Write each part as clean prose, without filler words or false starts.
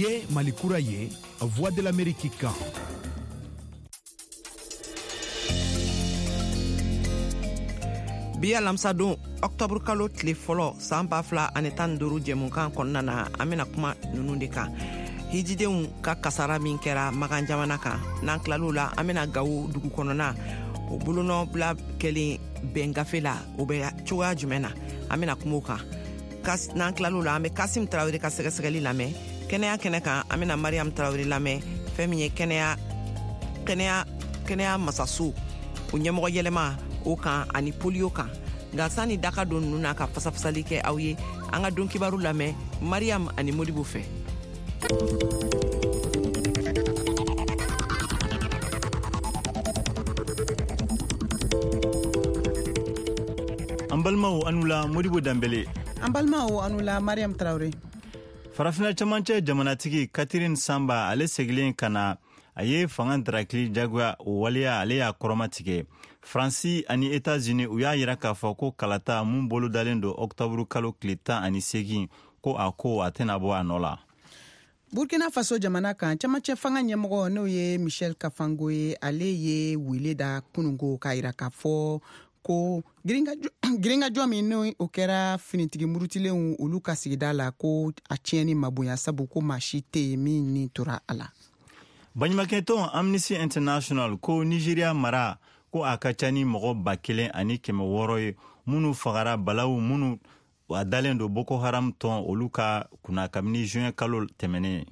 Ye Mali kura ye, Voix de l'Amérique kan. Bi alamisadon, ɔktɔburu kalo tile fɔlɔ san 2015 jɛmukan kɔnɔna na, an bena kuma nunu de kan: hijidenw ka kasara min kɛra Makan jamana kan. N'an tilal'o la, an bena Gawo dugu kɔnɔna o bolonɔ bila kɛlen bɛn gafe la, o bɛ cogoya jumɛn na, an bena kuma o kan. N'an tilal'o la, an bɛ Kasim Tarawele ka sɛgɛsɛgɛli lamɛn. Kɛnɛya kɛnɛ kan, an bena Mariam Tarawele lamɛn, fɛn min ye kɛnɛya masaso o ɲɛmɔgɔ yɛlɛma o kan ani polio kan. Nka sani daka don ninnu na ka fasafasali kɛ aw ye, an ka don kibaru lamɛn Mariam ani Modibo fɛ. An balimaw, aw ni wula. Modibo Danbele. An balimaw, aw ni wula. Mariam Tarawele. Farafina camancɛ jamanatigi Catherine Samba, ale segilen ka na, a ye fanga darakili jagoya o waleya, ale y'a kɔrɔmatigɛ. Faransi ani Etats-Unis, u y'a yira k'a fɔ ko kalata mun bolodalen don ɔktɔburu kalo tile 18, ko a ko a tɛna bɔ a nɔ la. Burkina Faso jamana kan, camancɛ fanga ɲɛmɔgɔ, n'o ye Michel Kafango ye, ale ye wele da kunungo k'a yira k'a fɔ ko girinkajɔ min n'o o kɛra finitigi murutilenw olu ka sigida la, ko a tiɲɛni ma bonya, sabu ko maa si tɛ yen min ni tora a la. Baɲumankɛtɔn Amnesty International ko Nigeria mara, ko a ka ca ni mɔgɔ 1600 ye minnu fagara balawu minnu a dalen don Boko Haram tɔn olu ka kunna kabini juin kalo tɛmɛnen.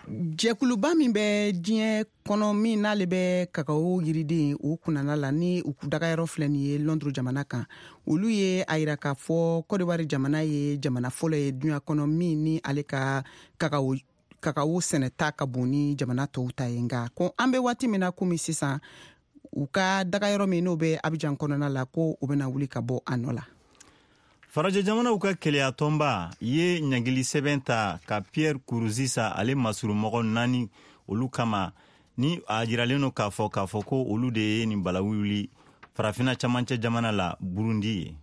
Jɛkuluba min bɛ diɲɛ kɔnɔ, min n'ale bɛ kakawo yiriden o kunnana la, ni u dagayɔrɔ filɛ nin ye Londres jamana kan, olu ye a yira k'a fɔ Kɔdiwari jamana ye jamana fɔlɔ ye duɲa kɔnɔ min ni ale ka kakawo sɛnɛta ka bon ni jamana tɔw ta ye. Nka ko an bɛ waati min na komi sisan, u ka dagayɔrɔ min n'o bɛ Abijan kɔnɔna la, ko u bɛna wuli ka bɔ a nɔ la. Farajɛ jamanaw ka keleya tɔnba ye ɲangili sɛbɛn ta ka Pierre Nkurunziza ale masurumɔgɔ naani olu kama, ni a jiralen don k'a fɔ ko olu de ye nin balawu wuli Farafina camancɛ jamana la, Burundi ye.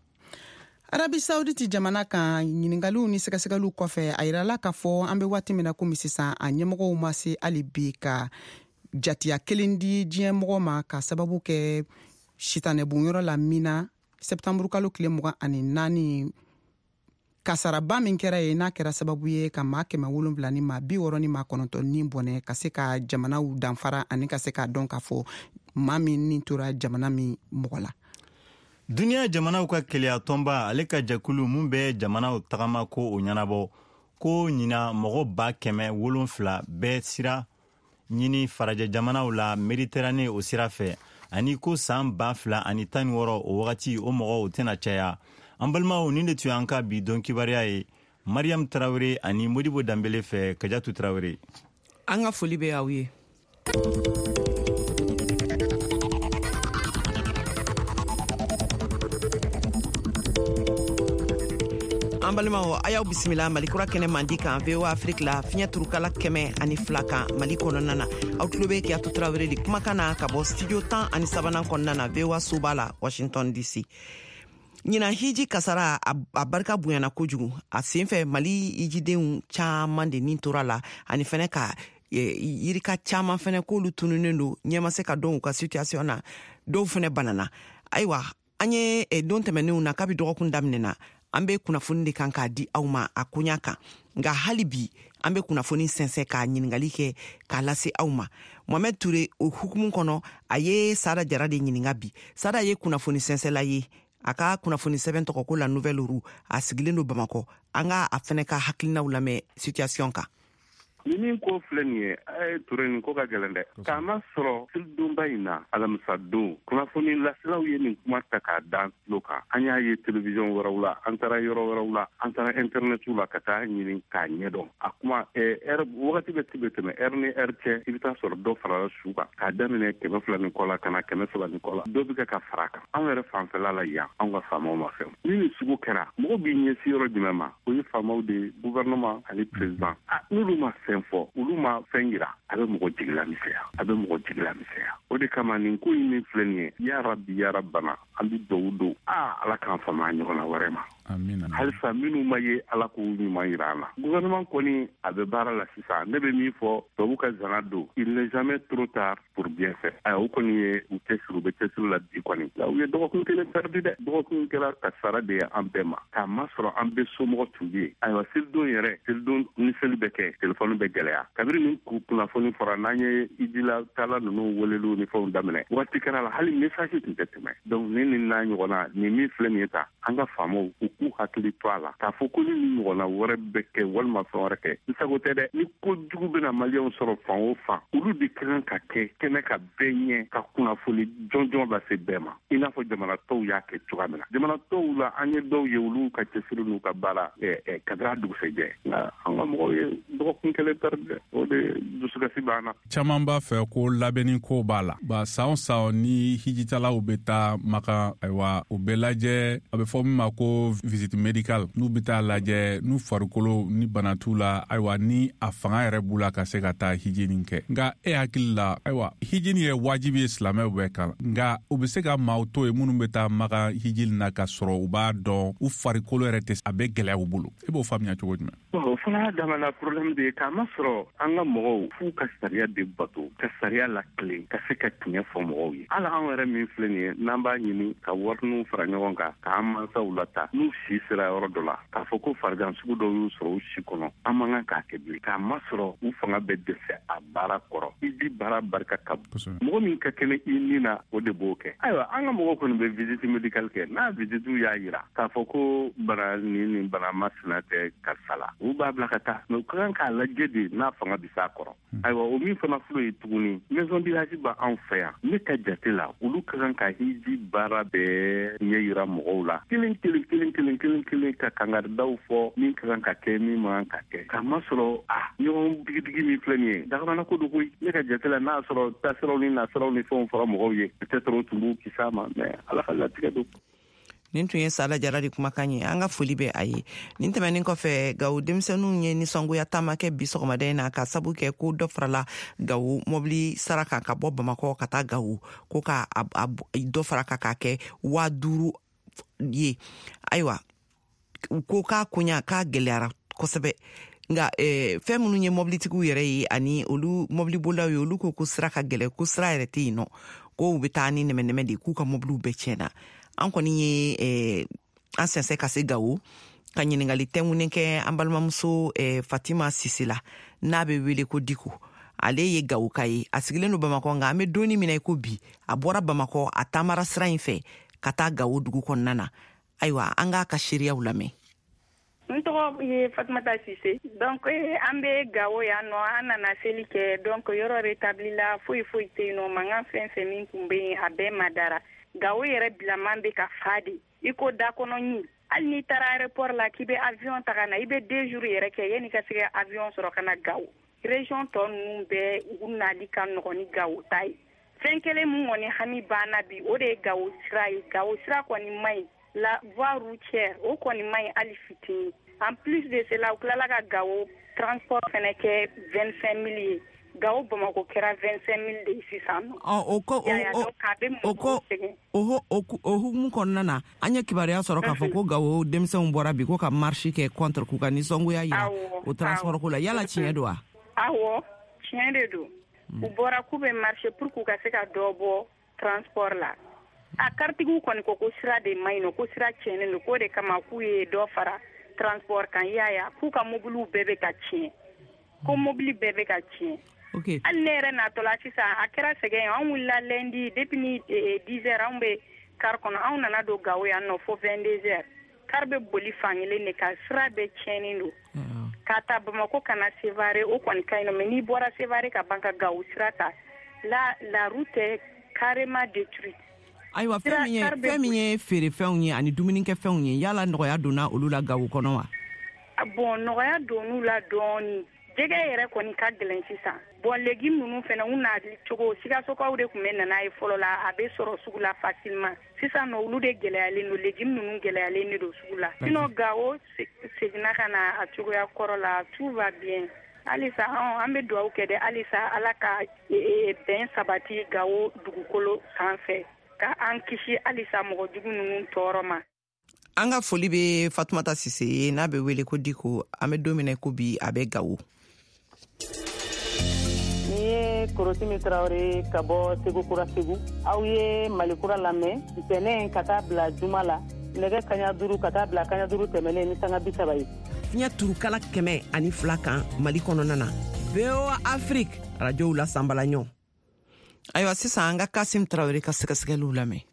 Arabi Sauditi jamana kan, ɲiningaliw ni sɛgɛsɛgɛliw kɔfɛ, a yirala k'a fɔ an bɛ waati min na komi sisan, a ɲɛmɔgɔw ma se hali bi ka jatiya kelen di diɲɛ mɔgɔ ma, ka sababu kɛ sitanɛbonyɔrɔ la min na sɛptanburu kalo tile 24, kasaraba min kɛra ye, n'a kɛra sababu ye ka maa 769 ni bɔnɛ, ka se ka jamanaw danfara ani ka se k'a dɔn k'a fɔ maa min ni tora jamana min mɔgɔ la. Duniɲa jamanaw ka keleya tɔnba, ale ka jɛkulu mun bɛ jamanaw tagama ko o ɲɛnabɔ, ko ɲina mɔgɔ 700,000 bɛɛ sira ɲini farajɛ jamanaw la Mediterane o sira fɛ, ani ko san 2016 o wagati, o mɔgɔw tɛna caya. An balimaw, nin de tun y'an ka bi don kibaruya ye Mariam Tarawele ani Modibo Danbele fɛ. Kajatu Tarawele. An ka foli bɛ aw ye. An balimaw, a y'aw bisimila Malikura kɛnɛ mandi kan, VOA Afrique la, fiɲɛ turukala 102 kan Mali kɔnɔna na. Aw tulo bɛ Kiyatu Tarawele de kumakan na ka bɔ studio 13nan kɔnɔna na, VOA soba la, Washington DC. Ɲinan hiji kasara a barika bonyana kojugu. A sen fɛ, Mali hijidenw caaman de nin tora la, ani fɛnɛ ka yirika caaman fɛnɛ k'olu tununen don, ɲɛ ma se ka dɔn u ka situation na. Dɔw fɛnɛ banana. Ayiwa, an ye don tɛmɛnenw na, kabi dɔgɔkun daminɛna, an be kunnafoni de kan k'a di aw ma a koɲa kan. Nka hali bi, an be kunnafoni sɛnsɛn k'a ɲiningali kɛ k'a lase aw ma. Mohamɛd Ture, o hukumu kɔnɔ, a ye Sada Jara de ɲininga bi. Sada ye kunnafoni sɛnsɛla ye, a ka kunnafoni sɛbɛn tɔgɔ ko La Nouvelle Roue, a sigilen don Bamakɔ. An ka a fɛnɛ ka hakilinaw lamɛn situation kan. Ni min ko filɛ nin ye, a ye Ture, nin ko ka gɛlɛn dɛ, k'a ma sɔrɔ selidonba in na, alamisa don, kunnafoni laselaw ye nin kuma ta k'a dan tulo kan. An y'a ye télévision wɛrɛw la, an taara yɔrɔ wɛrɛw la, an taara internetiw la ka taa ɲini k'a ɲɛdɔn. A kuma ɛrɛ wagati bɛ ti bɛ tɛmɛ, ɛrɛ ni ɛrɛ cɛ, i bɛ taa sɔrɔ dɔ farala su kan, k'a daminɛ 200 ni kɔ la ka na 300 ni kɔ la, dɔ bɛ kɛ ka fara a kan. Anw yɛrɛ fanfɛla la yan, anw ka faamaw ma fɛn. Ni nin sugu kɛra, mɔgɔ b'i ɲɛsin yɔrɔ jumɛn ma? O ye faamaw de ye, gouvernement ani président. N'olu ma fɛn fɔ, olu ma fɛn yira, a bɛ mɔgɔ jigila misɛnya, a bɛ mɔgɔ jigila misɛnya. O de kama nin ko in min filɛ nin ye, ya Rabi, ya Rabana, an bɛ duwawu don, Ala k'an fama ɲɔgɔnna wɛrɛ ma. Halisa minnu ma ye, Ala k'u ɲuman yira an na. Gouvernement kɔni, a bɛ baara la sisan. Ne bɛ min fɔ, tubabu ka zana don, il n'est jamais trop tard pour bien faire. Ayiwa, o kɔni ye u cɛsiri, u bɛ cɛsiri la bi kɔni. U ye dɔgɔkun kelen perdu dɛ. Dɔgɔkun kɛra kasara de ye an bɛɛ ma, k'a masɔrɔ an bɛɛ somɔgɔ tun bɛ yen. Ayiwa, selidon yɛrɛ, selidon ni seli bɛ kɛ, telefɔni bɛ gɛlɛya. Kabini nin kunnafoni fɔra, n'an ye ijila taala ninnu weleliw ni fɛnw daminɛ, waati kɛra la hali message tun tɛ tɛmɛ. Donc ni nin n'a ɲɔgɔnna nin min filɛ nin ye ta, an ka faamaw, u k'u hakili to a la k'a fɔ ko ni nin ɲɔgɔnna wɛrɛ bɛ kɛ walima fɛn wɛrɛ kɛ, n sago tɛ dɛ, ni ko jugu bɛna Maliyɛnw sɔrɔ fan o fan, olu de ka kan ka kɛ kɛnɛ ka bɛɛ ɲɛ, ka kunnafoni jɔnjɔn lase bɛɛ ma, i n'a fɔ jamana tɔw y'a kɛ cogoya min na. Jamana tɔw la, an ye dɔw ye, olu ka cɛsiri n'u ka baara kabini a dugusɛjɛ, nka an ka mɔgɔw ye dɔgɔkun kelen perdu dɛ. O de dusukasi b'an na. Caman b'a fɛ ko labɛnni ko b'a la ba. San o san ni hijitalaw bɛ taa Makan, ayiwa, u bɛ lajɛ, a bɛ fɔ min ma ko visite médicale, n'u bɛ taa lajɛ n'u farikolo ni bana t'u la, ayiwa, ni a fanga yɛrɛ b'u la ka se ka taa hiji nin kɛ. Nka e hakili la, ayiwa, hiji nin ye wajibi ye silamɛw bɛɛ kan, nka u bɛ se ka maaw to yen minnu bɛ taa Makan hiji na ka sɔrɔ u b'a dɔn u farikolo yɛrɛ tɛ, a bɛ gɛlɛya u bolo. E b'o faamuya cogo jumɛn? O fana y'a damana problème de ye, k'a masɔrɔ an ka mɔgɔw f'u ka sariya de bato, ka sariya latilen, ka se ka tiɲɛ fɔ mɔgɔw ye. Hali anw yɛrɛ min filɛ nin ye, n'an b'a ɲini ka wariniw fara ɲɔgɔn kan k'an mansaw lata n'u si sera yɔrɔ dɔ la, k'a fɔ ko farigan sugu dɔw y'u sɔrɔ u si kɔnɔ, an man kan k'a kɛ bilen, k'a masɔrɔ u fanga bɛ dɛsɛ a baara kɔrɔ. I baara barika ka bon, mɔgɔ min ka kɛnɛ i ni na, o de b'o kɛ. Ayiwa, an ka mɔgɔw kɔni bɛ visite médicale kɛ. N'a visite y'a yira k'a fɔ ko bana nin bana masina tɛ karisa la, u b'a bila ka taa, mais u ka kan k'a lajɛ de n'a fanga bɛ s'a kɔrɔ. Ayiwa, o min fana filɛ ye tuguni, maison du hajj b'anw fɛ yan. Ne ka jate la, olu ka kan ka hiji baara bɛɛ ɲɛ yira mɔgɔw la, kelen kelen kelen kelen kelen kelen, ka kangaridaw fɔ min ka kan ka kɛ, min man kan ka kɛ, k'a masɔrɔ a ɲɔgɔn digidigi min filɛ nin ye, dagamana ko don koyi. Ne ka jate la, n'a sɔrɔ taasiraw ni nasiraw ni fɛnw fɔra mɔgɔw ye, peut-être o tun b'u kisi a ma, mais Ala ka latigɛ don. Nin tun ye Sala Jara de kumakan ye. An ka foli bɛ a ye. Nin tɛmɛnin kɔfɛ, Gawo denmisɛnninw ye nisɔngoya taama kɛ bi sɔgɔmada in na, ka sabu kɛ ko dɔ farala Gawo mɔbili sara kan ka bɔ Bamakɔ ka taa Gawo, ko ka dɔ fara kan k'a kɛ 5000 ye. Ayiwa, u ko k'a koɲa k'a gɛlɛyara kosɛbɛ. Nka fɛn minnu ye mɔbilitigiw yɛrɛ ye ani olu mɔbilibolilaw ye, olu ko ko sira ka gɛlɛ, ko sira yɛrɛ tɛ yen nɔ, ko u bɛ taa ni nɛmɛ-nɛmɛ de, k'u ka mɔbiliw bɛɛ tiɲɛna. An kɔni ye an sɛnsɛn ka se Gawo ka ɲininkali tɛnkunnen kɛ an balimamuso Fatima Sise la, n'a bɛ wele ko Diko. Ale ye Gawoka ye, a sigilen don Bamakɔ, nka an bɛ donni min na i ko bi, a bɔra Bamakɔ, a taamara sira in fɛ ka taa Gawo dugu kɔnɔna na. Ayiwa, an k'a ka seereyaw lamɛn. N tɔgɔ ye Fatumata Sise. Donc an bɛ Gawo yan nɔ, an nana seli kɛ. Donc yɔrɔ rétabli la, foyi foyi tɛ yen nɔ. Mankan fɛn fɛn min tun bɛ yen, a bɛɛ madara. Gawo yɛrɛ bilaman bɛ ka fa de i ko dakɔnɔ ɲin. Hali n'i taara aéroport la k'i bɛ avion ta ka na, i bɛ 2 jours yɛrɛ kɛ yanni ka se ka avion sɔrɔ ka na Gawo. Région tɔ ninnu bɛɛ, u nali ka nɔgɔn ni Gawo ta ye. Fɛn kelen mun kɔni hami banna bi, o de ye Gawo sira ye. Gawo sira kɔni man ɲi, la voie routière, o kɔni man ɲi hali fitinin. En plus de cela, u tilala ka Gawo transport fɛnɛ kɛ 25 000 ye. Gawo Bamako kɛra 25 000 de ye sisan nɔ. O ko o ko o hukumu kɔnɔna na, an ye kibaruya sɔrɔ k'a fɔ ko Gawo denmisɛnw bɔra bi ko ka marche kɛ contre, k'u ka nisɔngoya yira o transport ko la. Yala tiɲɛ don wa? Awɔ, tiɲɛ de don. U bɔra k'u bɛ marche pour k'u ka se ka dɔ bɔ transport la. A karitigiw kɔni ko ko sira de man ɲi nɔ, ko sira tiɲɛnen don, k'o de kama k'u ye dɔ fara transport kan. I y'a ye, k'u ka mobiliw bɛɛ bɛ ka tiɲɛ, ko mobili bɛɛ bɛ ka tiɲɛ. Hali ne yɛrɛ natɔla sisan, a kɛra sɛgɛn ye. Anw wulila lundi depuis ni 10 heures, anw bɛ car kɔnɔ. Anw nana don Gawo yan nɔ fo 22 heures. Car bɛ boli fankelen de kan, sira bɛɛ tiɲɛnen don. K'a ta Bamako ka na Sevare, o kɔni ka ɲi nɔ, mais n'i bɔra Sevare ka ban ka Gawo sira ta la, la route est carrément détruite. Ayiwa, fɛn min ye feerefɛnw ye ani dumunikɛfɛnw ye, yala nɔgɔya donna olu la Gawo kɔnɔ wa? Bon, nɔgɔya donn'u la dɔɔni. Jɛgɛ yɛrɛ kɔni ka gɛlɛn sisan. Bon, légumes ninnu fɛnɛ, u nali cogo, Sikasokaw de tun bɛ nana ye fɔlɔ la, a bɛ sɔrɔ sugu la facilement. Sisan nɔ, olu de gɛlɛyalen don, légumes ninnu gɛlɛyalen de don sugu la. Sinon Gawo seginna ka na a cogoya kɔrɔ la, tout va bien. Halisa an bɛ dugawu kɛ dɛ, halisa Ala ka bɛn sabati Gawo dugukolo sanfɛ, ka an kisi halisa mɔgɔ jugu ninnu tɔɔrɔ ma. An ka foli bɛ Fatumata Sise ye, n'a bɛ wele ko Diko. An bɛ don min na ko bi, a bɛ Gawo. Ni ye Korosimi Tarawele ka bɔ Segu Kura Segu. Aw ye Malikura lamɛn ntɛnɛn ka taa bila juma la, nɛgɛ 5:30 ka taa bila 5:30 tɛmɛnen ni sanga 30 ye. Fiɲɛ turukala 102 kan Mali kɔnɔna na, VOA Afrique arajow la sanbalaɲɔ. Ayiwa, sisan an ka Kasim Tarawele ka sɛgɛsɛgɛliw lamɛn.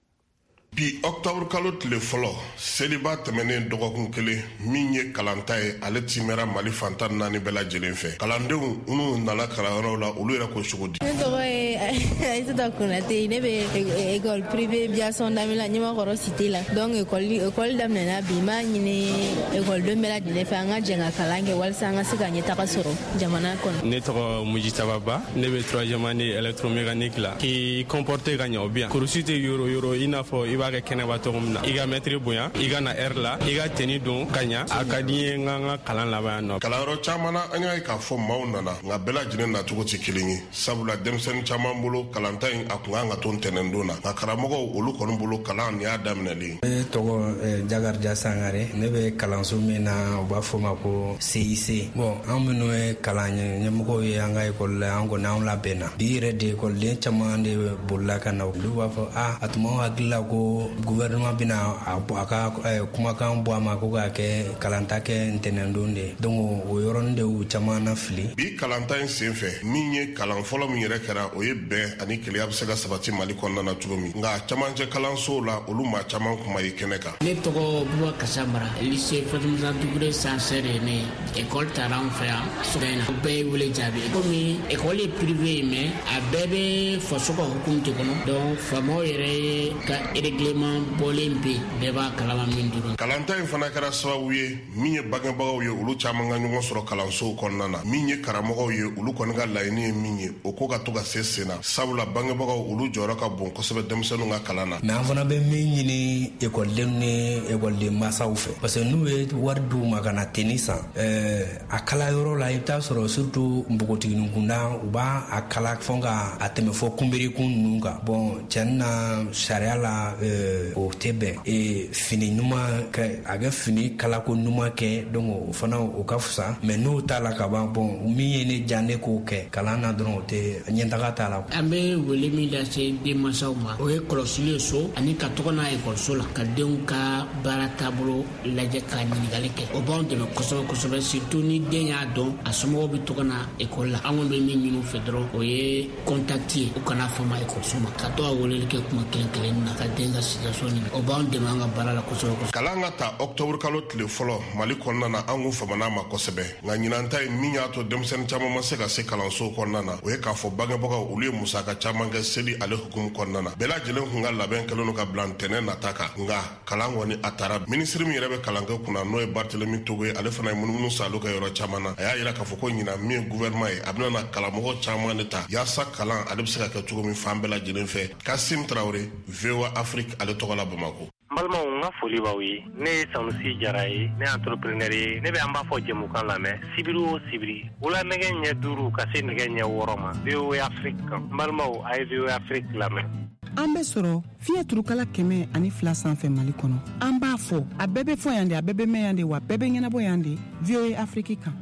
Bi ɔkutɔburu kalo tile fɔlɔ, seliba tɛmɛnen dɔgɔkun kelen, min ye kalanta ye, ale timɛra Mali fan 14 bɛɛ lajɛlen fɛ. Kalandenw minnu nana kalanyɔrɔw la, olu yɛrɛ ko cogo di? Ne tɔgɔ ye Aïssata Konate. Ne bɛ école privée Biasson Damila, Ɲamakɔrɔ cité la. Donc école daminɛna bi. N b'a ɲini école den bɛɛ lajɛlen fɛ, an ka jɛ ka kalan kɛ walasa an ka se ka ɲɛtaga sɔrɔ jamana kɔnɔ. Ne tɔgɔ Mujitaba Ba. Ne bɛ troisième année électromécanique la. K'i comporter ka ɲɛ, o bien kurusi tɛ yoro yoro, i n'a fɔ i b'a kɛ kɛnɛba cogo min na. I ka mɛtiri bonya, i ka na heure la, i ka tenue don ka ɲa. A ka di n ye n ka n ka kalan laban yan nɔ. Kalanyɔrɔ caman na, an y'a ye k'a fɔ maaw nana, nka bɛɛ lajɛlen nacogo tɛ kelen ye, sabula denmisɛnnin caman bolo, kalanta in a kun kan ka to ntɛnɛndon na, nka karamɔgɔw olu kɔni bolo, kalan nin y'a daminɛlen. Ne tɔgɔ Jakarija Sangare. Ne bɛ kalanso min na, u b'a fɔ ma ko CIC. Bon, an minnu ye kalan ɲɛmɔgɔw ye an ka ekɔli la, an kɔni an labɛnna. Bi yɛrɛ de, ekɔliden caman de bolila ka na. Olu b'a fɔ a a tun b'anw hakili la ko gouvernement bɛna a ka kumakan bɔ a ma ko k'a kɛ kalanta kɛ ntɛnɛndon de. Donc o yɔrɔnin de y'u caman na fili. Bi kalanta in sen fɛ, min ye kalan fɔlɔ min yɛrɛ kɛra, o ye bɛn ani kelenya bɛ se ka sabati Mali kɔnɔna na cogo min. Nka camancɛ kalansow la, olu maa caman kuma ye kɛnɛ kan. Ne tɔgɔ Buba Kasa Mara, lycée Fatumata Dugure censeur ye. Ne ye école taara an fɛ yan sɔgɔma in na, bɛɛ ye wele jaabi. Komi école ye privé ye, mais a bɛɛ bɛ faso ka hukumu de kɔnɔ. Donc faamaw yɛrɛ ye ka règlement bɔlen bɛ yen, bɛɛ b'a kalama min dɔrɔn. Kalanta in fana kɛra sababu ye, min ye bangebagaw ye, olu caman ka ɲɔgɔn sɔrɔ kalansow kɔnɔna na. Min ye karamɔgɔw ye, olu kɔni ka laɲini ye min ye, o ko ka to ka se sen na, sabula bangebagaw olu jɔyɔrɔ ka bon kosɛbɛ denmisɛnninw ka kalan na. Mais an fana bɛ min ɲini ekɔlidenw ni ekɔliden masaw fɛ, parce que n'u ye wari d'u ma ka na tenue san, a kala yɔrɔ la, i bɛ taa sɔrɔ surtout npogotiginin kunda, u b'a a kala fɔ ka a tɛmɛ fɔ kunberikun ninnu kan. Bon, cɛni na, sariya la, o tɛ bɛn. Fini ɲuman kɛ, a kɛ fini kalako ɲuman kɛ. Donc o fana o ka fisa. Mais n'o t'a la ka ban, bon, min ye ne diya, ne k'o kɛ kalan na dɔrɔn, o tɛ ɲɛtaga t'a la. An bɛ wele min lase denmansaw ma, o ye kɔlɔsili ye so ani ka tɔgɔ n'a ekɔliso la, ka denw ka baara taabolo lajɛ, ka ɲininkali kɛ. O b'anw dɛmɛ kosɛbɛ kosɛbɛ, surtout ni den y'a dɔn a somɔgɔw bɛ tɔgɔ na ekɔli la. An kɔni bɛ min ɲini u fɛ dɔrɔn, o ye contact ye. U kana fama ekɔliso ma, ka to ka weleli kɛ kuma kelen kelen na, ka den ka situation ɲini. O b'anw dɛmɛ an ka baara la kosɛbɛ kosɛbɛ. Kalan ka ta ɔkutɔburu kalo tile fɔlɔ Mali kɔnɔna na, an kun famana ma kosɛbɛ. Nka ɲinan ta ye, min y'a to denmisɛnnin caman ma se ka se kalansow kɔnɔna na, o ye k'a fɔ bangebagaw olu ye musaka caman kɛ seli ale hukumu kɔnɔna na. Bɛɛ lajɛlen kun ka labɛn kɛlen don ka bila ntɛnɛn nata kan, nka kalan kɔni a taara. Minisiri min yɛrɛ bɛ kalankɛ kunna, n'o ye Barthelemy Togo ye, ale fana ye munumunu salo kɛ yɔrɔ caman na. A y'a yira k'a fɔ ko ɲinan, min ye gouvernement ye, a bɛna na kalamɔgɔ caman de ta yaasa kalan ale bɛ se ka kɛ cogo min fan bɛɛ lajɛlen fɛ. Kasim Tarawele, VOA Afrique ale tɔgɔ la, Bamako. N balimaw, n ka foli b'aw ye. Ne ye Sanusi Jara ye, ne ye entrepreneur ye. Ne bɛ an b'a fɔ jɛmukan lamɛn sibiri o sibiri, wula nɛgɛ 5:30 ka se nɛgɛ 6:30 ma, VOA Afrique kan. N balimaw, a ye VOA Afrique lamɛn. An bɛ sɔrɔ fiɲɛ turukala 102 sanfɛ Mali kɔnɔ. An b'a fɔ, a bɛɛ bɛ fɔ yan de, a bɛɛ bɛ mɛn yan de, wa bɛɛ bɛ ɲɛnabɔ yan de, VOA Afrique kan.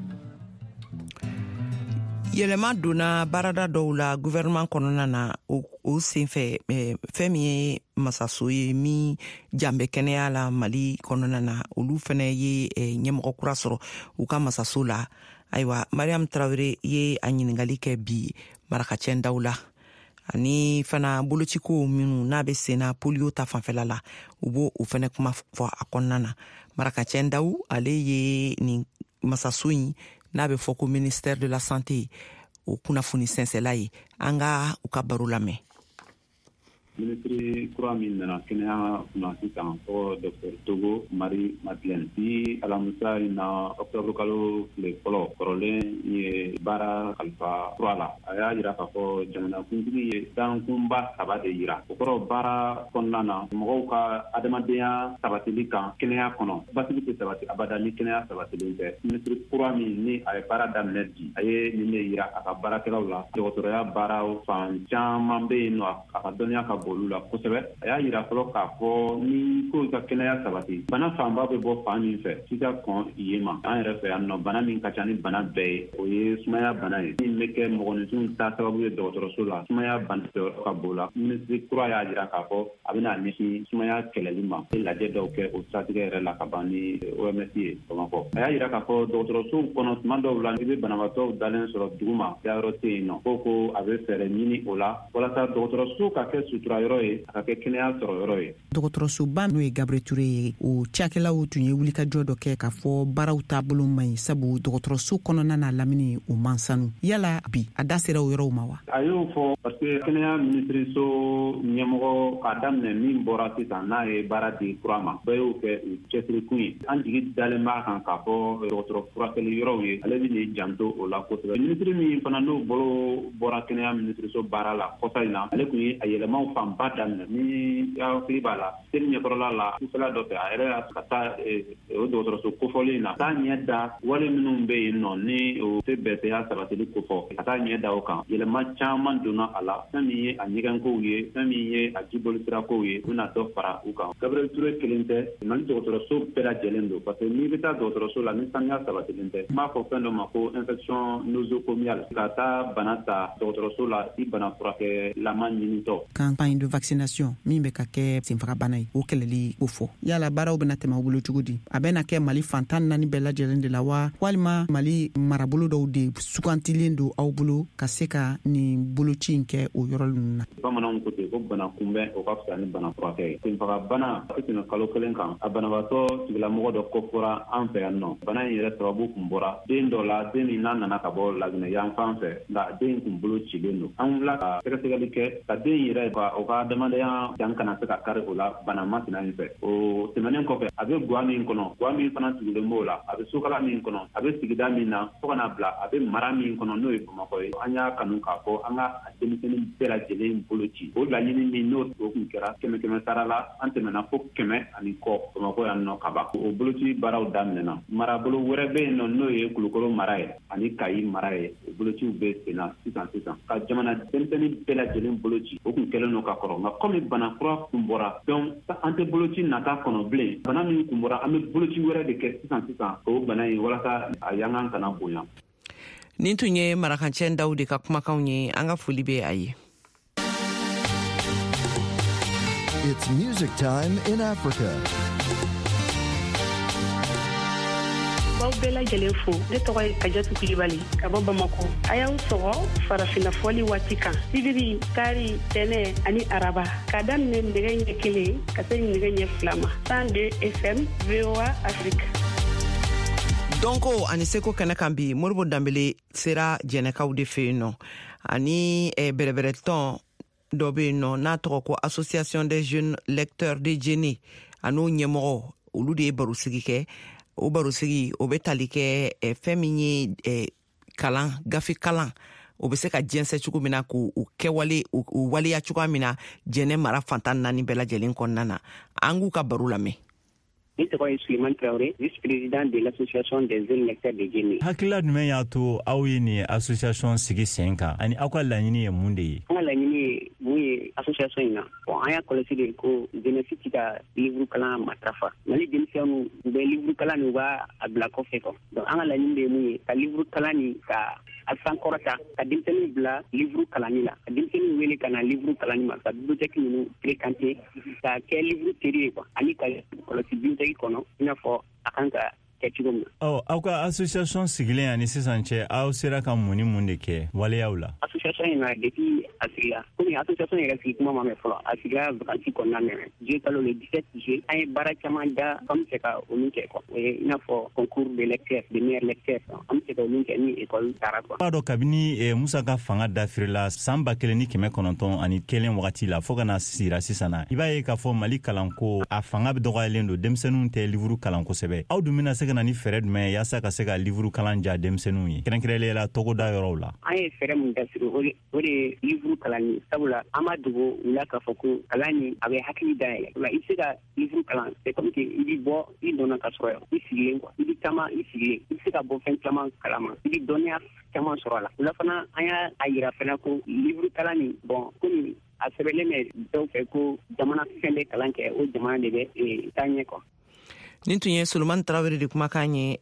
Yɛlɛma donna baarada dɔw la gouvernement kɔnɔna na. O senfɛ, fɛn min ye masaso ye min jan bɛ kɛnɛya la Mali kɔnɔna na, olu fɛnɛ ye ɲɛmɔgɔ kura sɔrɔ u ka masaso la. Ayiwa, Mariam Tarawele ye a ɲiningali kɛ bi Marakacɛ daw la, ani fana bolociko minnu n'a bɛ senna polio ta fanfɛla la, u b'o o fɛnɛ kuma fɔ a kɔnɔna na. Marakacɛ daw, ale ye nin masaso in n'a bɛ fɔ ko ministère de la Santé, o kunnafoni sɛnsɛla ye. An ka u ka baro lamɛn. Minisiri kura min nana kɛnɛya kunna sisan, tɔgɔ Dr Togo Marie Madeleine. Bi alamisa in na, octobre kalo tile fɔlɔ, kɔrɔlen ye baara kalifa kura la. A y'a yira k'a fɔ jamanakuntigi ye dankunba saba de yira. O kɔrɔ, baara kɔnɔna na, mɔgɔw ka adamadenya sabatili kan kɛnɛya kɔnɔ. Basigi tɛ sabati abada ni kɛnɛya sabatilen tɛ. Minisiri kura min ni a ye baara daminɛ bi, a ye nin de yira a ka baarakɛlaw la. Dɔgɔtɔrɔya baaraw fan caman bɛ yen nɔ, a ka dɔnniya ka bon. bon olu la kosɛbɛ. A y'a yira fɔlɔ k'a fɔ ni ko ka kɛnɛya sabati, bana fanba bɛ bɔ fan min fɛ, f'i ka kɔn yen ma. An yɛrɛ fɛ yan nɔ, bana min ka ca ni bana bɛɛ ye, o ye sumaya bana ye min bɛ kɛ mɔgɔninfinw ta sababu ye dɔgɔtɔrɔso la. Sumaya bana jɔyɔrɔ ka bon la. Minisiri kura y'a jira k'a fɔ a bɛna ɲɛsin sumaya kɛlɛli ma. Lajɛ dɔw kɛ o siratigɛ yɛrɛ la ka ban ni OMS ye Bamakɔ. A y'a jira k'a fɔ dɔgɔtɔrɔsow kɔnɔ, tuma dɔw la i bɛ banabaatɔw dalen sɔrɔ duguma, dayɔrɔ tɛ yen nɔ. Ko a bɛ fɛɛrɛ ɲini o la walasa dɔgɔtɔrɔso ka kɛ sutura yɔrɔ ye, a ka kɛ kɛnɛya sɔrɔ yɔrɔ ye. Dɔgɔtɔrɔsoba n'o ye Gabriel Touré ye, o cakɛlaw tun ye wulikajɔ dɔ kɛ k'a fɔ baaraw taabolo man ɲi, sabu dɔgɔtɔrɔso kɔnɔna n'a lamini o man sanu. Yala bi a da sera o yɔrɔw ma wa? A y'o fɔ parce que kɛnɛya minisiriso ɲɛmɔgɔ k'a daminɛ min bɔra sisan, n'a ye baara di kura ma, bɛɛ y'o kɛ u cɛsirikun ye. An jigi dalen b'a kan k'a fɔ dɔgɔtɔrɔ furakɛli yɔrɔw ye, ale bɛ n'i janto o la kosɛbɛ. Minisiri min fana n'o bolo bɔra kɛnɛya minisiriso baara la kɔsa in na, ale tun ye a yɛlɛmaw fanba daminɛ. Ni hakili b'a la, seli ɲɛkɔrɔla la, sufɛla dɔ fɛ, a yɛrɛ y'a ka taa o dɔgɔtɔrɔso kofɔlen in na, taa ɲɛ da wale minnu bɛ yen nɔ ni o tɛ bɛɛsɛya sabatili kofɔ, ka taa ɲɛ da o kan. Yɛlɛma caman donna a la, fɛn min ye a ɲɛgɛnkow ye, fɛn min ye a jibolisirakow ye, u bɛna dɔ fara u kan. Gabriel Touré kelen tɛ, Mali dɔgɔtɔrɔso bɛɛ lajɛlen don, parce que n'i bɛ taa dɔgɔtɔrɔso la ni saniya sabatilen tɛ, n b'a fɔ fɛn dɔ ma ko infection nosocomiale, ka taa bana ta dɔgɔtɔrɔso la i bana furakɛlama ɲinitɔ. Campagne de vaccination min bɛ ka kɛ senfagabana ye, o kɛlɛli ko fɔ, yala baaraw bɛna tɛmɛ aw bolo cogo di? A bɛna kɛ Mali fan 14 bɛɛ lajɛlen de la wa, walima Mali marabolo dɔw de sugantilen don aw bolo ka se ka nin boloci in kɛ o yɔrɔ ninnu na? Bamananw ko ten ko bana kunbɛn o ka fisa ni bana furakɛ ye. Senfagabana a tɛ tɛmɛ kalo kelen kan, a banabaatɔ tigilamɔgɔ dɔ kofɔra an fɛ yan nɔ. Bana in yɛrɛ sababu kun bɔra den dɔ la, den min n'a nana ka bɔ Laginɛ yan fan fɛ, nka den in kun bolo cilen don. An wulila ka sɛgɛsɛgɛli kɛ ka den yɛrɛ ka o ka adamadenya dan kana se ka kari o la bana masina in fɛ. O tɛmɛnen kɔfɛ, a bɛ gwa min kɔnɔ, gwa min fana tugulen b'o la, a bɛ sokala min kɔnɔ, a bɛ sigida min na, fo ka n'a bila a bɛ mara min kɔnɔ, n'o ye Bamakɔ ye. An y'a kanu k'a fɔ an ka denmisɛnnin bɛɛ lajɛlen bolo ci. O laɲini min n'o o kun kɛra 100 sara la, an tɛmɛna fo 100 ani kɔ Bamakɔ yan nɔ ka ban. O boloci baaraw daminɛna. Marabolo wɛrɛ bɛ yen nɔ, n'o ye Kulukoro mara ye ani Kayi mara ye, o bolociw bɛ sen na sisan sisan. Ka jamana denmisɛnnin bɛɛ lajɛlen bolo ci, o kun kɛlen don ka kɔrɔ, nka kɔmi bana kura kun bɔra, donc an tɛ boloci nata kɔnɔ bilen. Bana min kun bɔra, an bɛ boloci wɛrɛ de kɛ sisan sisan o bana in, walasa a yankan kana bonya. Nin tun ye marakancɛ daw de ka kumakanw ye. An ka foli bɛ a ye. It's music time in Africa. B'aw bɛɛ lajɛlen fo. Ne tɔgɔ ye Kajatu Kulibali ka bɔ Bamakɔ. A y'aw sɔgɔ farafinna fɔli waati kan, sibiri, kari, tɛnɛ ani araba, k'a daminɛ nɛgɛ ɲɛ 1 ka se nɛgɛ ɲɛ 2 ma, 102 FM, VOA Afrique. Dɔnko ani seko kɛnɛ kan bi, Moribo Danbele sera jɛnɛkaw de fɛ yen nɔ, ani bɛrɛbɛrɛtɔn dɔ bɛ yen nɔ n'a tɔgɔ ko Association des jeunes lecteurs de Djenné, a n'o ɲɛmɔgɔ, olu de ye barosigi kɛ. O barosigi o bɛ tali kɛ fɛn min ye kalan, gafe kalan, o bɛ se ka jɛnsɛ cogo min na, k'o kɛwale o waleya cogoya min na Jɛnɛ mara fan 14 bɛɛ lajɛlen kɔnɔna na. An k'u ka baro lamɛn. Ne tɔgɔ ye Suleiman Traoré, vice-président de l'association des jeunes lecteurs de Djenné. Hakilila jumɛn y'a to aw ye nin association sigi sen kan, ani aw ka laɲini ye mun de ye? An ka laɲini ye mun ye association in na? Bon, an y'a kɔlɔsi de ko jeunesse ti ka livre kalan matarafa. Mali denmisɛnninw, u bɛ livre kalan ni u b'a bila kɔfɛ quoi. Donc an ka laɲini de ye mun ye? Ka livre kalan ni ka a sankɔrɔta, ka denmisɛnninw bila livre kalanni la, ka denmisɛnninw wele ka na livre kalanni ma, ka bibliothèque ninnu fréquenter, ka kɛ livre teri ye quoi, ani ka kɔlɔsi bibliothèque kɔnɔ i n'a fɔ a kan ka kɛ cogo min na. Ɔ, aw ka association sigilen ani sisan cɛ, aw sera ka mun ni mun de kɛ waleyaw la? Association in na, depuis a sigila, komi association yɛrɛ sigi kuma ma mɛn fɔlɔ, a sigira vacances kɔnɔna na, juillet kalo, le 17 juillet. An ye baara caman da an bɛ fɛ ka olu kɛ quoi. O ye i n'a fɔ concours de lecteur, de meilleurs lecteurs, an bɛ se ka olu kɛ ni école taara quoi. B'a dɔn kabini Musa ka fanga dafirila san 1901 wagati la fo ka na sira sisan na, i b'a ye k'a fɔ Mali kalanko a fanga bɛ dɔgɔyalen don, denmisɛnninw tɛ livre kalan kosɛbɛ. Aw dun bɛna se ka na ni fɛɛrɛ jumɛn ye yaasa ka se ka livre kalan ja denmisɛnninw ye, kɛrɛnkɛrɛnnenya la togoda yɔrɔw la? An ye fɛɛrɛ mun dasiri, o de ye livre kalan ye, sabula an b'a dogo u la k'a fɔ ko kalan nin a bɛ hakili dayɛlɛ. O la i bɛ se ka livre kalan, c'est comme que i bɛ bɔ i nɔ na ka sɔrɔ i sigilen quoi. I bɛ taama i sigilen, i bɛ se ka bɔ fɛn caman kalama, i bɛ dɔnniya caman sɔrɔ a la. O la fana, an y'a yira fana ko livre kalan nin, bon, komi A sɛbɛnlen bɛ dɔw fɛ ko jamana fɛn bɛ kalan kɛ, o jamana de bɛ taa ɲɛ quoi. Nin tun ye Solomani Tarawele de kumakan ye,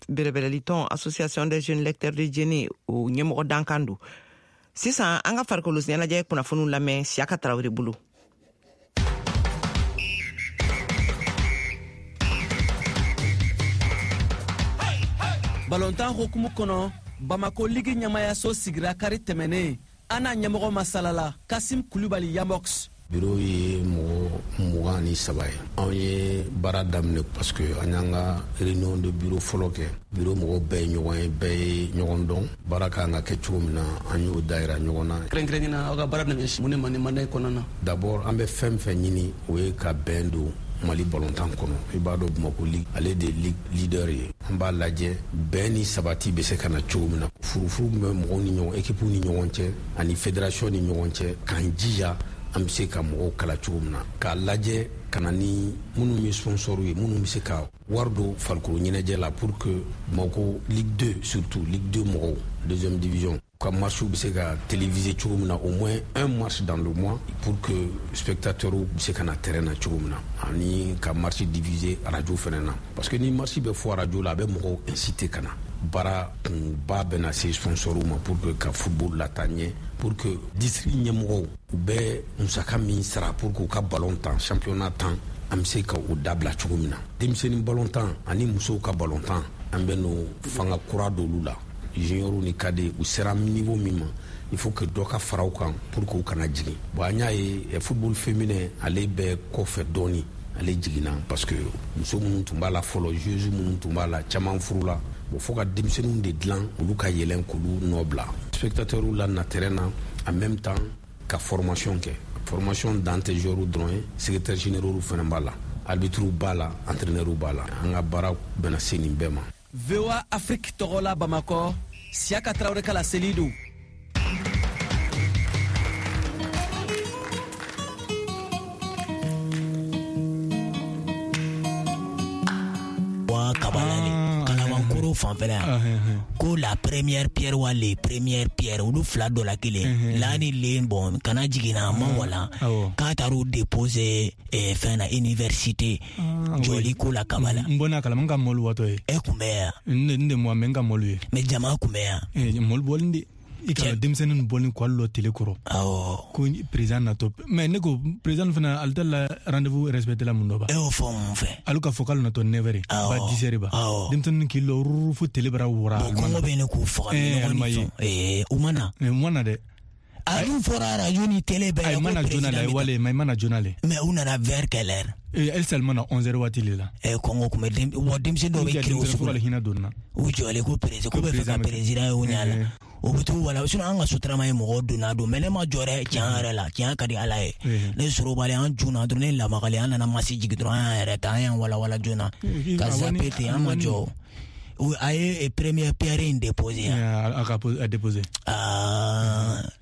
bɛrɛbɛrɛlitɔn Association des jeunes lecteurs de Djenné, o ɲɛmɔgɔ dankan don. Sisan an ka farikolo ɲɛnajɛ kunnafoniw lamɛn Siyaka Tarawele bolo. Balontan hukumu kɔnɔ, Bamako ligi ɲɛmayaso sigira kari tɛmɛnen. An n'a ɲɛmɔgɔ masalala, Kasim Kulubali Yamox. Biro ye mɔgɔ 23 ye. Anw ye baara daminɛ parce que an y'an ka réunion de bureau fɔlɔ kɛ. Bureau mɔgɔw bɛɛ ye ɲɔgɔn ye, bɛɛ ye ɲɔgɔn dɔn. Baara ka kan ka kɛ cogo min na, an y'o dayira ɲɔgɔn na. Kɛrɛnkɛrɛnnenya la, aw ka baara bɛna ɲɛsin mun de ma nin mandat in kɔnɔna na? D'abord, an bɛ fɛn fɛn ɲini, o ye ka bɛn don Mali balontan kɔnɔ. I b'a dɔn, Bamako ligue, ale de ligue leader ye. An b'a lajɛ bɛn ni sabati bɛ se ka na cogo min na, furufuru bɛ mɔgɔw ni ɲɔgɔn, équipe ni ɲɔgɔn cɛ ani fédération ni ɲɔgɔn cɛ, k'an jija an bɛ se ka mɔgɔw kala cogo min na, k'a lajɛ ka na ni minnu ye sponsor ye, minnu bɛ se ka wari don farikolo ɲɛnajɛ la pour que Bamako Ligue 2, surtout Ligue 2 mɔgɔw, deuxième division, ka match bɛ se ka téléviser cogo min na, au moins un match dans le mois, pour que spectateurs bɛ se ka na terrain na cogo min na, ani ka match diffuser radio fɛnɛ na, parce que ni match bɛ fɔ radio la, a bɛ mɔgɔw inciter ka na. Baara kunba bɛna se sponsor ma pour que ka football lataa ɲɛ, pour que district ɲɛmɔgɔw u bɛ musaka min sara pour que u ka ballon tan, championnat tan, an bɛ se ka o dabila cogo min na. Denmisɛnnin ballon tan ani musow ka ballon tan, an bɛ n'o fanga kura d'olu la. Junior ni cadet, u sera niveau min ma, il faut que dɔ ka fara u kan pour que u kana jigin. Bon, an y'a ye football féminin, ale bɛ kɔfɛ dɔɔni, ale jiginna parce que muso minnu tun b'a la fɔlɔ, joueuse minnu tun b'a la, caman furula. Bon, fo ka denmisɛnninw de dilan, olu ka yɛlɛn k'olu nɔ bila spectateurs la na terrain na, en même temps ka formation kɛ. Formation dan tɛ joueurs dɔrɔn ye, secrétaire généraux fana b'a la, arbitres b'a la, entraîneurs b'a la. An ka baara bɛna se nin bɛɛ ma. VOA Afrique tɔgɔ la Bamakɔ, Siyaka Tarawele ka laseli don. Wa kabala le Kalabankoro fanfɛla yan ko la première pierre wa les premières pierres, olu fila dɔ la kelen la ni len, bon, kana jiginna ma wala k'a taar'u déposer fɛn na université jɔli ko la Kabala. N bɔnna kalama, n ka mɔlu watɔ ye. E kun bɛ yan? N de mɔ, mɛ n ka mɔlu ye. Mais jama kun bɛ yan? Mɔlu bɔlen de. I ka denmisɛnnin bɔlen k'ale lɔ télé kɔrɔ. Awɔ. Ko président natɔ. Mais ne ko président fana, ale tɛ la rendez-vous respecté la mun dɔ ba. E y'o fɔ mun fɛ? Ale ka fɔ k'ale natɔ 9 heures. Awɔ. Ba 10 heures ba. Awɔ. Denmisɛnnin k'i lɔ ruru fo télé bara wara. Bon, kɔngɔ bɛ ne k'u faga. Alima ye. U ma na. U ma na dɛ. A dun fɔra radio ni télé bɛɛ la. Ayi, ma na joona la, wale, mais ma na joona le. Mais u nana vers quelle heure? Elle seulement na 11 heures waati le la. Kɔngɔ kun bɛ wa denmisɛnnin dɔw bɛ kiri o sugu la. Hinɛ donna. U jɔlen ko président, ko bɛ fɛ ka président ye o ɲɛ la. O bɛ t'u wala, sinon an ka sotarama ye mɔgɔw donna don, mais ne ma jɔ dɛ, tiɲɛ yɛrɛ la, tiɲɛ ka di Ala ye. Ne sorobalen an joona dɔrɔn, ne lamagalen an nana masi jigin dɔrɔn, an y'an yɛrɛ ta, an y'an walawala joona ka zappe ten, an ma jɔ. A ye première pierre in déposé yan. A ka déposé.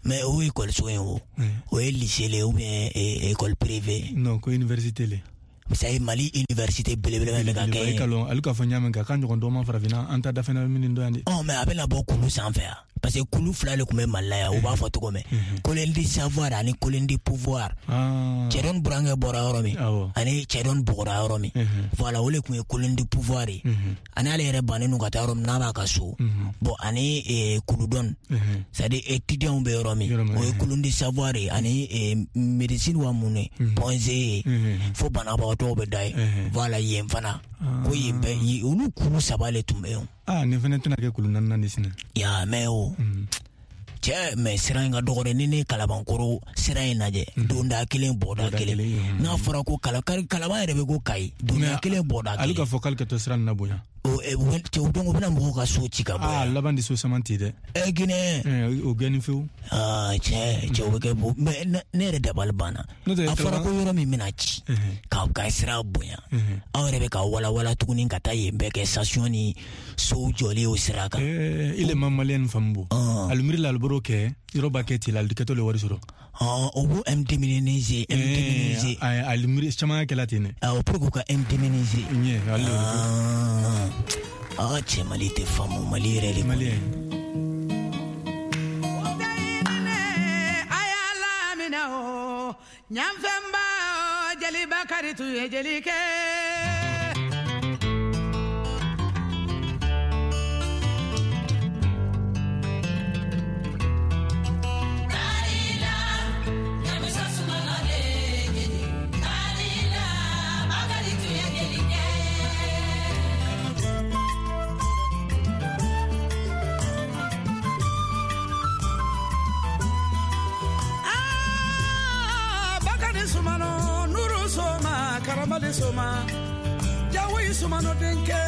Mais o école so in o. O ye lycée le ou bien école privée? Non, ko université le. Ça ye Mali université belebele bɛ ka kɛ. E ka lɔn, ale ka fɔ ɲa min kan, k'an ɲɔgɔn dɔ ma farafinna, an ta dafɛnna min dɔ yan de. Ɔ, mais a bɛna bɔ kulu sanfɛ yan. Parce que kulu fila de tun bɛ Mali la yan, u b'a fɔ cogo min. Colonne du savoir ani colonne du pouvoir. Cɛdɔn burankɛ bɔra yɔrɔ min, ani cɛdɔn bɔgɔra yɔrɔ min. Voilà, o de tun ye colonne du pouvoir ye. Ani ale yɛrɛ bannen don ka taa yɔrɔ min n'a b'a ka so. Bon, ani kuludɔn, c'est à dire étudiants bɛ yɔrɔ min, o ye colonne du savoir ye, ani médecine wa mun ye, Point G ye, fo banabagatɔw bɛ da ye. Voilà, yen fana. Ko yen bɛɛ, olu kulu saba de tun bɛ yen. Ah, nin fana tɛna kɛ kulu naaninan de sini. Ya mɛ o. Cɛ, mais sira in ka dɔgɔ dɛ. Ni ne Kalabankoro sira in lajɛ, donda kelen bɔda kelen. N'a fɔra ko Kalaban yɛrɛ bɛ ko Kayi, donda kelen bɔda kelen. Ale ka fɔ k'ale ka to sira nin na bonya. O cɛ, donc u bɛna mɔgɔw ka so ci ka bɔ yan. Ah, laban de so saman ten dɛ. Ginɛ. O gɛnni fewu. Ah, cɛ o bɛ kɛ bo, mais ne yɛrɛ dabali banna. A fɔra ko yɔrɔ min bɛna ci, ka sira bonya. Aw yɛrɛ bɛ ka walawala tuguni ka taa yen bɛɛ kɛ station ni sow jɔli o sira kan. Ile ma maliyɛn faamu bo. Alu miiri la, alu bɔr'o kɛ, yɔrɔ b'a kɛ ten la, alu kɛtɔ le wari sɔrɔ. O b'u indemniser. Alu miiri caman kɛla ten dɛ. Awɔ, pour que u ka indemniser. Ɲɛ, ale Ah, cɛ, Mali tɛ faamu, Mali yɛrɛ de. Mali. ye jeli kɛ. Soma jawo sumano denkɛ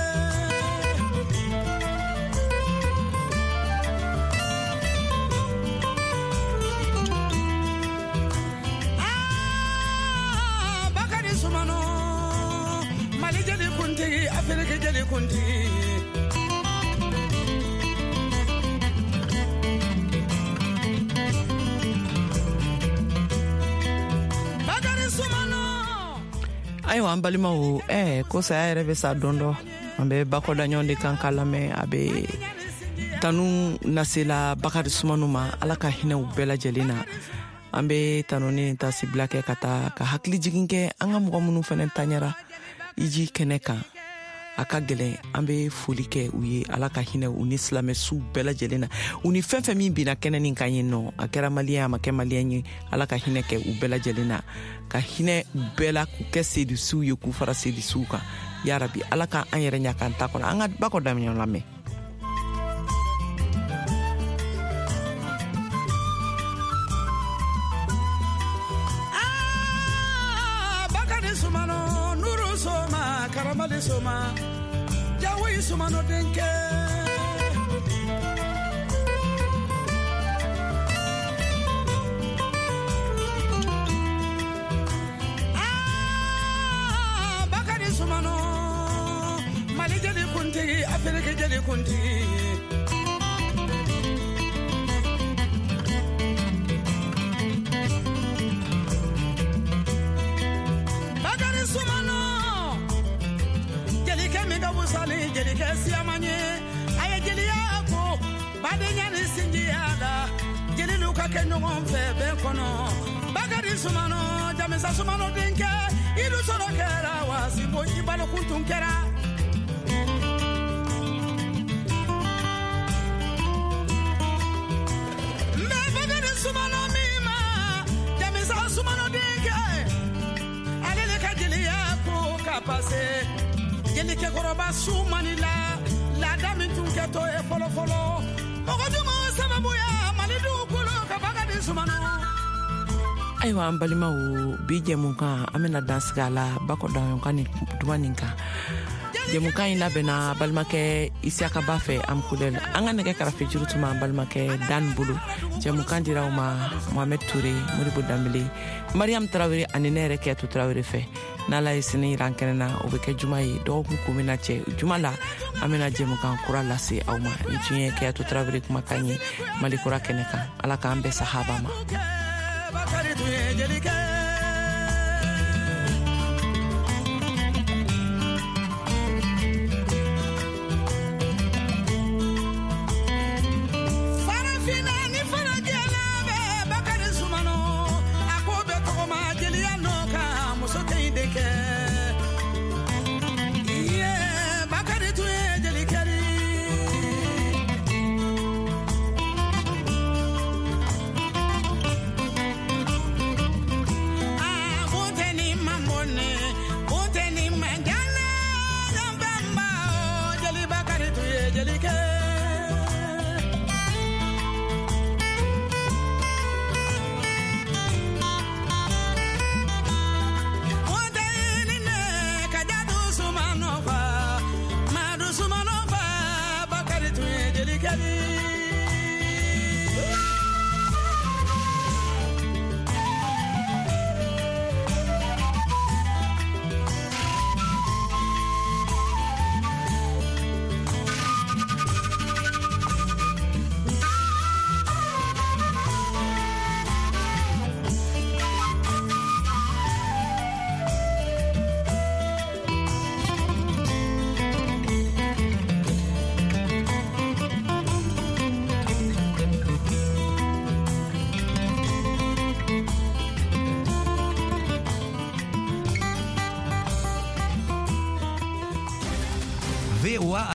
aa Bakari Sumano Mali jeli kuntigi Afiriki jeli kuntigi. Ayiwa an balimaw, ko saya yɛrɛ bɛ sa don dɔ. An bɛ Bakɔ Daɲɔn de kan k'a lamɛn. A bɛ tanu nasela Bakari Sumano ma, Ala ka hinɛ u bɛɛ lajɛlen na. An bɛ tanu ni tasibila kɛ ka taa ka hakili jigin kɛ an ka mɔgɔ minnu fɛnɛ taɲara iji kɛnɛ kan, a ka gɛlɛn. An bɛ foli kɛ u ye, Ala ka hinɛ u ni silamɛsuw bɛɛ lajɛlen na, u ni fɛn fɛn min binna kɛnɛ nin kan yen nɔ, a kɛra maliyɛn, a ma kɛ maliyɛn ye, Ala ka hinɛ kɛ u bɛɛ lajɛlen na, ka hinɛ u bɛɛ la, k'u kɛ sedisiw ye, k'u fara sedisiw kan. Yarabi, Ala ka an yɛrɛ ɲa k'an ta kɔnɔ. An ka Bakɔ Daɲɔn lamɛn. Bakari Sumano Nuru Soma Karamali Soma jawo Sumano denkɛ. Aa Bakari Sumano Mali jeli kuntigi Afiriki jeli kuntigi. Bakari Sumano jelikɛ min ka wusali jelikɛ siyaman ye, a ye jeliya ko badenya ni sinjiya la, jelilu ka kɛ ɲɔgɔn fɛ bɛɛ kɔnɔ. Bakari Sumano Jamisa Sumano denkɛ, idu sɔrɔ kɛra wasibo i balokun tun kɛra. N bɛ Bakari Sumano min ma Jamisa Sumano denkɛ, ale de ka jeliya ko ka pase. Jelikɛkɔrɔba su mani la, laada min tun kɛtɔ ye fɔlɔfɔlɔ, mɔgɔ jugu sababuya Mali dugukolo ka Bakari Sumano. Ayiwa an balimaw, bi jɛmukan an bɛna dan sigi a la Bakɔ Daɲɔn ka nin duman nin kan. Jɛmukan in labɛnna balimakɛ Isiyaka Ba fɛ Amkulɛl. An ka nɛgɛ karafe juru tun b'an balimakɛ Dan bolo. Jɛmukan dira aw ma Mohamed Toure, Modibo Danbele, Mariam Tarawele ani ne yɛrɛ Kiyatu Tarawele fɛ. N'Ala ye sini yira an kɛnɛ na, o bɛ kɛ juma ye. Dɔgɔkun kun bɛna cɛ juma la, an bɛna jɛmukan kura lase aw ma. Nin tun ye Kiyatu Tarawele kumakan ye Mali kura kɛnɛ kan. Ala k'an bɛɛ sahaba ma. Bakari tun ye jelikɛ.